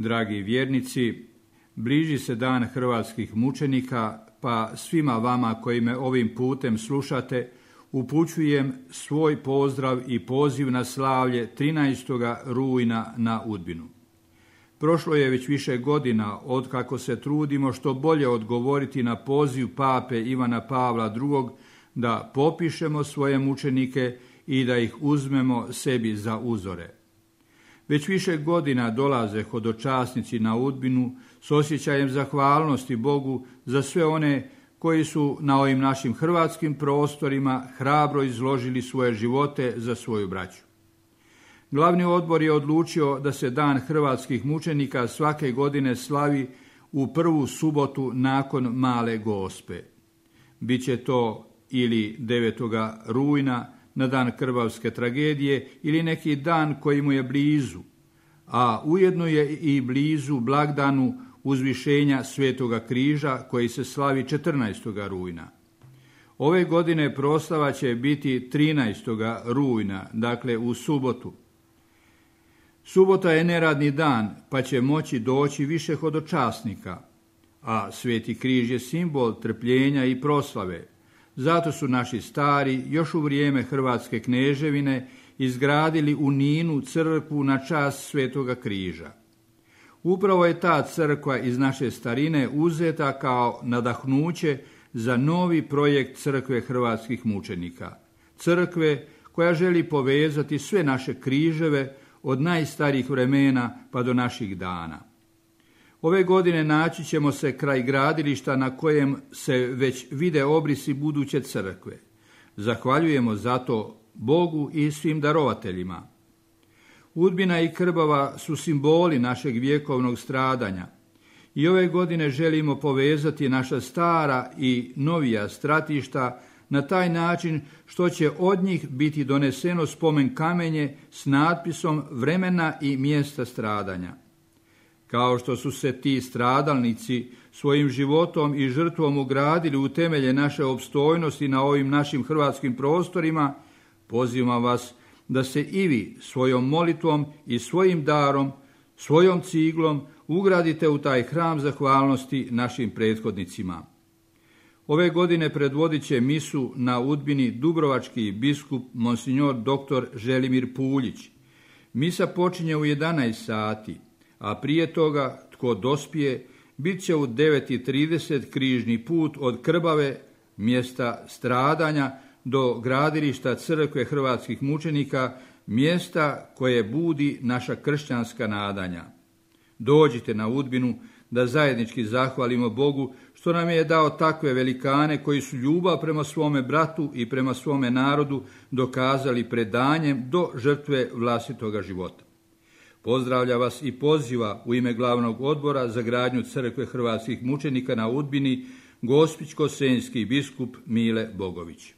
Dragi vjernici, bliži se dan hrvatskih mučenika, pa svima vama koji me ovim putem slušate, upućujem svoj pozdrav i poziv na slavlje 13. rujna na Udbinu. Prošlo je već više godina od kako se trudimo što bolje odgovoriti na poziv pape Ivana Pavla II. Da popišemo svoje mučenike i da ih uzmemo sebi za uzore. Već više godina dolaze hodočasnici na Udbinu s osjećajem zahvalnosti Bogu za sve one koji su na ovim našim hrvatskim prostorima hrabro izložili svoje živote za svoju braću. Glavni odbor je odlučio da se dan hrvatskih mučenika svake godine slavi u prvu subotu nakon Male Gospe. Biće to ili 9. rujna na dan krvavske tragedije ili neki dan koji mu je blizu, a ujedno je i blizu blagdanu uzvišenja Svetoga križa koji se slavi 14. rujna. Ove godine proslava će biti 13. rujna, dakle u subotu. Subota je neradni dan, pa će moći doći više hodočasnika, a Sveti križ je simbol trpljenja i proslave. Zato su naši stari još u vrijeme Hrvatske kneževine izgradili u Ninu crkvu na čast Svetoga križa. Upravo je ta crkva iz naše starine uzeta kao nadahnuće za novi projekt crkve hrvatskih mučenika. Crkve koja želi povezati sve naše križeve od najstarijih vremena pa do naših dana. Ove godine naći ćemo se kraj gradilišta na kojem se već vide obrisi buduće crkve. Zahvaljujemo zato Bogu i svim darovateljima. Udbina i Krbava su simboli našeg vjekovnog stradanja i ove godine želimo povezati naša stara i novija stratišta na taj način što će od njih biti doneseno spomen kamenje s natpisom vremena i mjesta stradanja. Kao što su se ti stradalnici svojim životom i žrtvom ugradili u temelje naše opstojnosti na ovim našim hrvatskim prostorima, pozivam vas da se i vi svojom molitvom i svojim darom, svojom ciglom ugradite u taj hram zahvalnosti našim prethodnicima. Ove godine predvodit će misu na Udbini dubrovački biskup monsignor dr. Želimir Puljić. Misa počinje u 11 sati, a prije toga, tko dospije, bit će u 9:30 križni put od Krbave, mjesta stradanja, do gradilišta crkve hrvatskih mučenika, mjesta koje budi naša kršćanska nadanja. Dođite na Udbinu da zajednički zahvalimo Bogu što nam je dao takve velikane koji su ljubav prema svome bratu i prema svome narodu dokazali predanjem do žrtve vlastitoga života. Pozdravlja vas i poziva u ime glavnog odbora za gradnju crkve hrvatskih mučenika na Udbini Gospićko-senjski biskup Mile Bogović.